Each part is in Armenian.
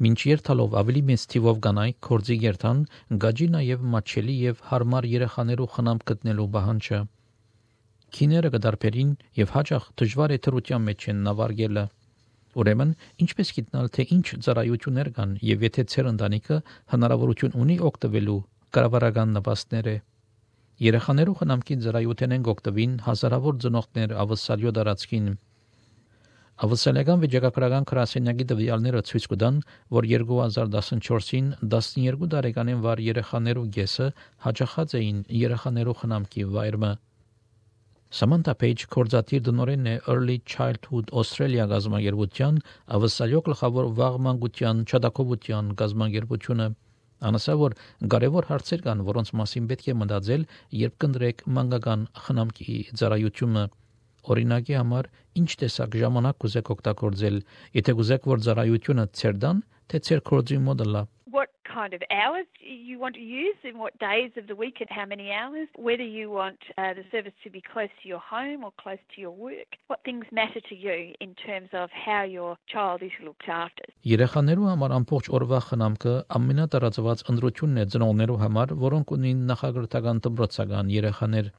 Մինչ երթալով ավելի մեծ թիվով կանայք կորձի երթան, գաջի նաև մատչելի եւ հարմար երեխաներու խնամք գտնելու պահանջը։ Քիները կդարբերին եւ հաճախ դժվար է թրության մեջ են նավարգելը։ Ուրեմն, ինչպես գիտնալ, թե ինչ ծառայություններ կան եւ եթե ծեր ընտանիքը հնարավորություն ունի օգտվելու կառավարական նպաստներ է։ Երեխաներու խնամքի ծառայության են օգտվին հազարավոր ծնողներ ավսալյո դարածքին։ Ավսալական վիճակագրական գրասենյակի տվյալները ցույց կտան, որ 2014-ին 12 տարեկանին վար երեխաներու գեսը հաճախած էին երեխաներու խնամքի վայրը։ Samantha Page կորզատիր դնորեն է Early Childhood Australia գազամագերբության ավսալյո գլխավոր վաղմանկության չադակովության գազամագերբությունը։ Անասա որ կարևոր հարցեր կան, որոնց մասին պետք է մտածել, երբ կընտրեք մանկական խնամքի ծառայությունը։ Օրինակի համար, ինչ տեսակ ժամանակ կուզեք օգտագործել, եթե կուզեք, որ ծառայությունը ծեր դան, թե ծեր կորձի մոդելա։ What kind of hours you want to use and what days of the week and how many hours, whether you want the service to be close to your home or close to your work, what things matter to you in terms of how your child is looked after. Երեխաներու համար ամբողջ օրվա խնամքը ամենատարածված ընտրությունն է ծնողներու համար, որոնք ունին նախագրթական դպրոցական երեխաներ։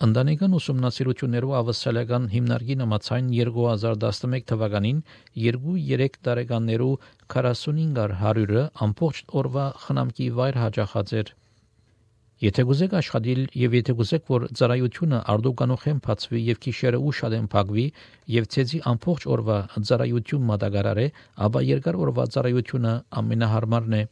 Ընտանեկան ուսումնասիրություններով ավսալական հիմնարկի նամացային 2011 թվականին 2-3 տարեկաններու 45%-ը ամբողջ օրվա խնամքի վայր հաճախած էր։ Եթե գուզեք աշխատել եւ եթե գուզեք, որ ծառայությունը արդյունքանոխեն բացվի եւ գիշերը ուշադեն փակվի եւ ցեզի ամբողջ օրվա ծառայություն մատակարարե, ապա երկար օրվա ծառայությունը ամենահարմարն է։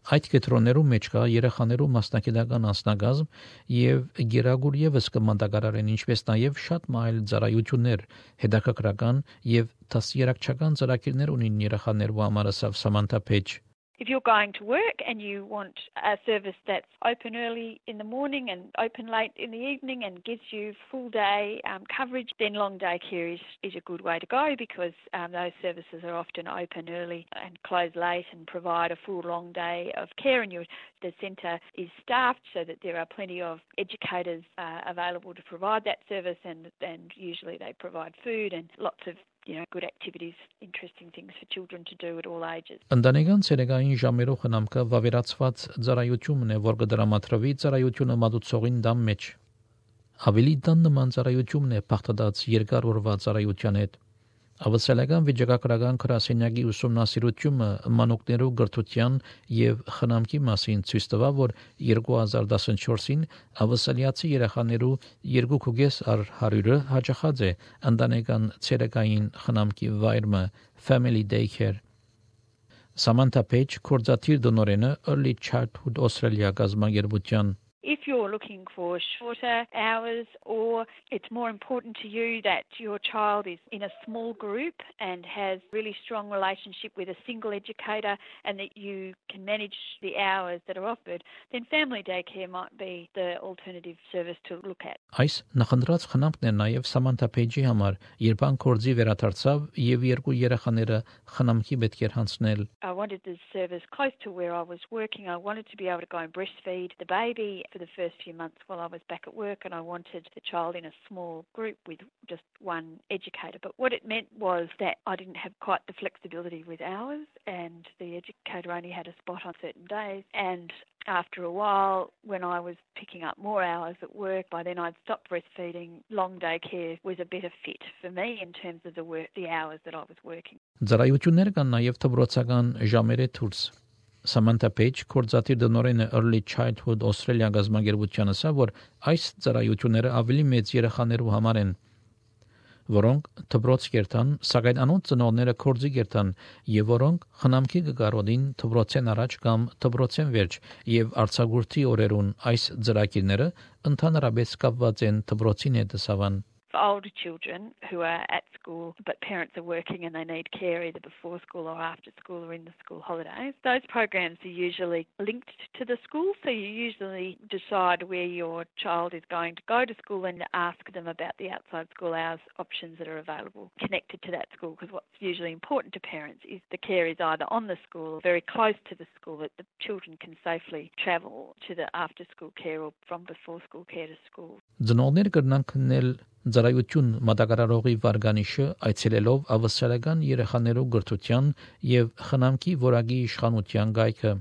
Այդ կետրոններու մեջ կա երեխաներու մասնակիտական անձնակազմ եւ գերագուր եւս կմատակարարեն, ինչպես նաեւ շատ մայլ ծառայություններ, հետաքրքրական եւ դասերակցական ծրագիրներ ունին երեխաներու համար, ասավ Samantha Page. If you're going to work and you want a service that's open early in the morning and open late in the evening and gives you full day coverage, then long day care is a good way to go because those services are often open early and close late and provide a full long day of care, and the centre is staffed so that there are plenty of educators available to provide that service, and usually they provide food and lots of good activities, interesting things for children to do at all ages. Ընտանեկան ցերեկային ժամերով խնամքը վավերացված ծառայությունն է, որ կդրամատրվի ծառայությունը մատուցողին դամ մեջ։ Ավելի տան նման ծառայությունն է բախտած երկար օրվա ծառայության հետ։ Ավսալական վիճակագրական գրասենյակի ուսումնասիրությունը մանուկներու գրթության եւ խնամքի մասին ցույց տվավ, որ 2014-ին ավսալիացի երեխաներու 2.5% հաճախած է ընտանեկան ցերեկային խնամքի վայրը Family Daycare։ Samantha Page կորզատիր դնորենը Early Childhood Australia գազամագերբության։ If you're looking for shorter hours or it's more important to you that your child is in a small group and has really strong relationship with a single educator and that you can manage the hours that are offered, then family daycare might be the alternative service to look at. Այս նախընտրած խնամքն է նաև Samantha Page-ի համար, երբ ան կորձի վերադարձավ եւ երկու երեխաները խնամքի պետք էր հանձնել։ I wanted the service close to where I was working. I wanted to be able to go and breastfeed the baby for the first few months while I was back at work, and I wanted the child in a small group with just one educator. But what it meant was that I didn't have quite the flexibility with hours, and the educator only had a spot on certain days. And after a while, when I was picking up more hours at work, by then I'd stopped breastfeeding. Long day care was a better fit for me in terms of the hours that I was working. Ծառայություններ կան նաև դպրոցական ժամերը դուրս։ Samantha Page կորզատիր դնորեն Early Childhood Australia գազամագերբության ասա, որ այս ծառայությունները ավելի մեծ երեխաներու համար են, որոնք դպրոց կերտան, սակայն անոնց ծնողները կորձի կերտան եւ որոնք խնամքի կգարոդին դպրոցեն առաջ կամ դպրոցեն վերջ եւ արցագուրտի օրերուն այս ծրագիրները ընդհանրապես կապված են դպրոցին հետ սավան։ For older children who are at school but parents are working and they need care either before school or after school or in the school holidays, those programs are usually linked to the school, so you usually decide where your child is going to go to school and ask them about the outside school hours options that are available connected to that school, because what's usually important to parents is the care is either on the school or very close to the school, that the children can safely travel to the after school care or from before school care to school. Ծնողներ կրնան քննել ծառայություն մատակարարողի վարկանիշը այցելելով ավասարական երեխաներու գրթության եւ խնամքի որակի իշխանության գայքը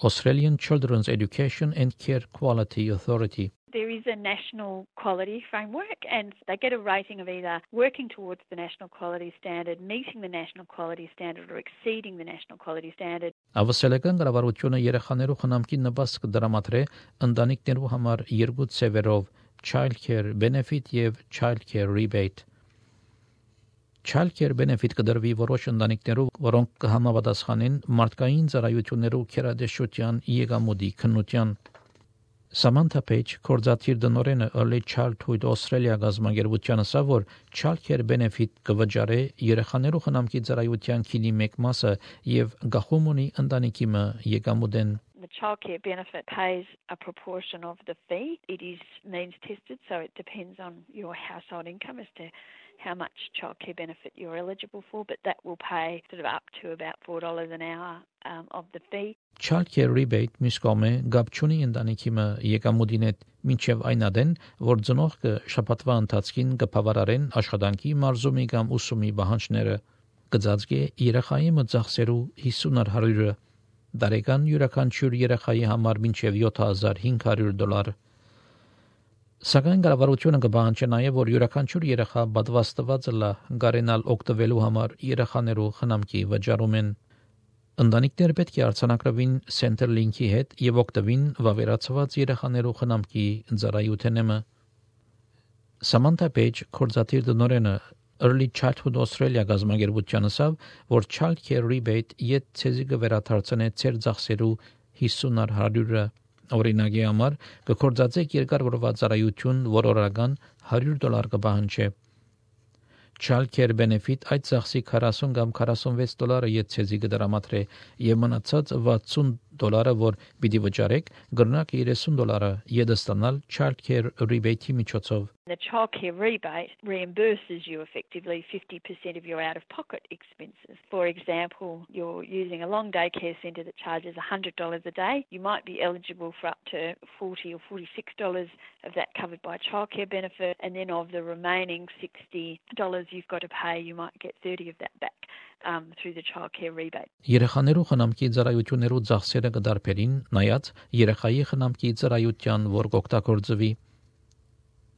Australian Children's Education and Care Quality Authority. There is a national quality framework and they get a rating of either working towards the national quality standard, meeting the national quality standard or exceeding the national quality standard. Ավասալական կառավարությունը երեխաներու խնամքի նպաստ կդրամատրե ընտանիքներու համար երկու ծևերով Child Care Benefit եւ Child Care Rebate. Child Care Benefit կդրվի որոշ ընտանիքներու, որոնք կհամապատասխանեն մարդկային ծառայություններու քերադեշության եկամուտի քննության. Samantha Page, կորզաթիր դնորենը Early Childhood Australia գազագերբության ասա, որ Child Care Benefit կվճարե երեխաներու խնամքի ծառայության քինի մեկ մասը եւ գախում ունի ընտանիքի մը եկամուտեն. The childcare benefit pays a proportion of the fee. It is means tested, so it depends on your household income as to how much childcare benefit you're eligible for, but that will pay sort of up to about $4 an hour of the fee. Childcare rebate միսկոմե գապչունի ընտանիքի մը եկամուտին հետ մինչև այն ադեն, որ ծնողքը շաբաթվա ընթացքին կբավարարեն աշխատանքի մարզումի կամ ուսումի պահանջները. կծածկե երեխայի մը ծախսերու 50%-ը, դարեկան յուրաքանչյուր երեխայի համար մինչև $7,500. Սակայն կառավարությունը կպահանջի նաև, որ յուրաքանչյուր երեխա պատվաստված լա գարենալ օգտվելու համար երեխաներու խնամքի վճարումեն. Ընտանիքներ պետք է արձանագրվին Centrelink-ի հետ եւ օգտվին վավերացված երեխաներու խնամքի ծառայությունները. Samantha Page, կորզաթիր դնորենը Early Childhood Australia գազագերբության ասավ, որ Child Care Rebate իդ ցեզի կվերաթարցնե ծեր ծախսերու 50%-ը. Օրինակի համար կկործածեք երկար օրվա ծառայություն, որ օրական $100 կպահանջի. Child Care Benefit այդ ծախսի 40 կամ $46 իդ ցեզի կդրամատրե եւ մնացած $60, որ պիտի վճարեք, կգրնակ $30 իդ ստանալ Child Care Rebate-ի միջոցով. The childcare rebate reimburses you effectively 50% of your out-of-pocket expenses. For example, you're using a long day care centre that charges $100 a day. You might be eligible for up to $40 or $46 of that covered by childcare benefit, and then of the remaining $60 you've got to pay, you might get 30 of that back through the childcare rebate. Երեխաներու խնամքի ծառայություններու ծախսերը կդարբերին, նայած երեխայի խնամքի ծառայության որ կօգտագործվի.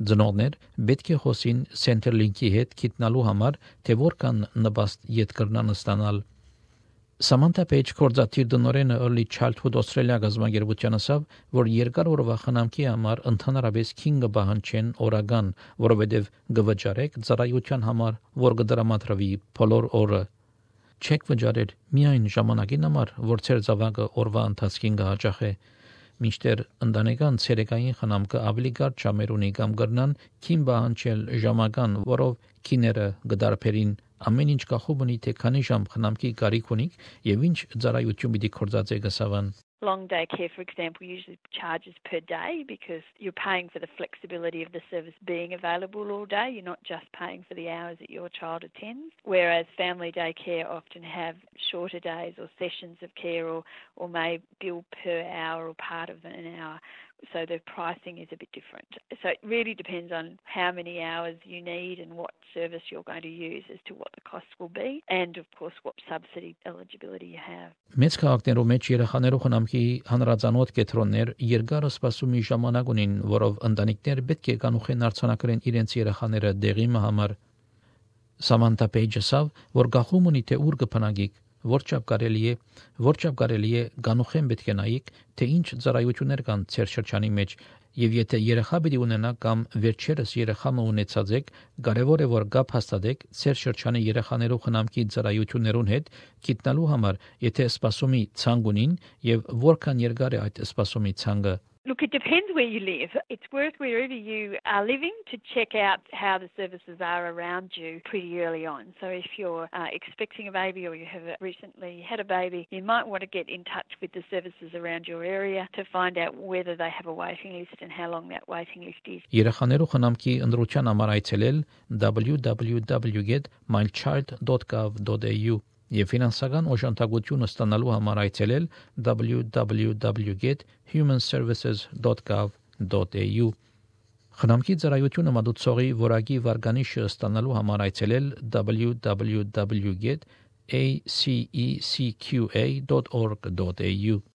Ծնողներ պետք է խոսին Centrelink-ի հետ գտնալու համար, թե որքան նպաստ իդ կրնան ստանալ. Samantha Page կորզաթիր դնորենը Early Childhood Australia գազագերբության ասավ, որ երկար օրվա խնամքի համար ընդհանրապես 5 պահանջեն օրական, որովհետև գվճարեք ծառայության համար, որ կդրամատրվի բոլոր օրը. Չեք վճարել միայն ժամանակին համար, որ ծեր զավակը օրվա ընթացքին կհաճախե. Մինչդեռ ընտանեկան ցերեկային խնամքը ավելի կարճ ժամեր ունի կամ կրնան քին պահանջել ժամական, որով քիները կդարբերին. ամեն ինչ կախում ունի թե քանի ժամ խնամքի կարիք ունիք եւ ինչ ծառայություն պիտի կործածեք ասավան. Long day care, for example, usually charges per day because you're paying for the flexibility of the service being available all day. You're not just paying for the hours that your child attends. Whereas family day care often have shorter days or sessions of care or may bill per hour or part of an hour. So the pricing is a bit different. So it really depends on how many hours you need and what service you're going to use as to what the cost will be and, of course, what subsidy eligibility you have. Մեծ քաղաքներու մեջ երեխաներու խնամքի հանրազանոթ կետրոններ երկար սպասումի ժամանակ ունին, որով ընտանիքներ պետք է կանուխեն արձանագրեն իրենց երեխաները դեղի համար. Samantha Page ասավ, որ գախում ունի թե ուր կփնագիկ, որչափ կարելի է գանուխեն պետք է նայիկ, թե ինչ ծառայություններ կան ծեր շրջանի մեջ, եւ եթե երեխա պիտի ունենա կամ վերջերս երեխա ունեցած եք, կարեւոր է որ գապ հաստատեք ծեր շրջանի երեխաներու խնամքի ծառայություններուն հետ գտնալու համար, եթե սպասումի ցանկ ունին եւ որքան երկար է այդ սպասումի ցանկը. Look, it depends where you live. It's worth wherever you are living to check out how the services are around you pretty early on. So if you're expecting a baby or you have recently had a baby, you might want to get in touch with the services around your area to find out whether they have a waiting list and how long that waiting list is. Երեխաներու խնամքի ընդրության համար այցելել www.mychild.gov.au եւ ֆինանսական օժանդակություն ստանալու համար այցելել www.humanservices.gov.au Խնամքի ծառայությունը մատուցողի որակի վարկանիշը ստանալու համար այցելել www.acecqa.org.au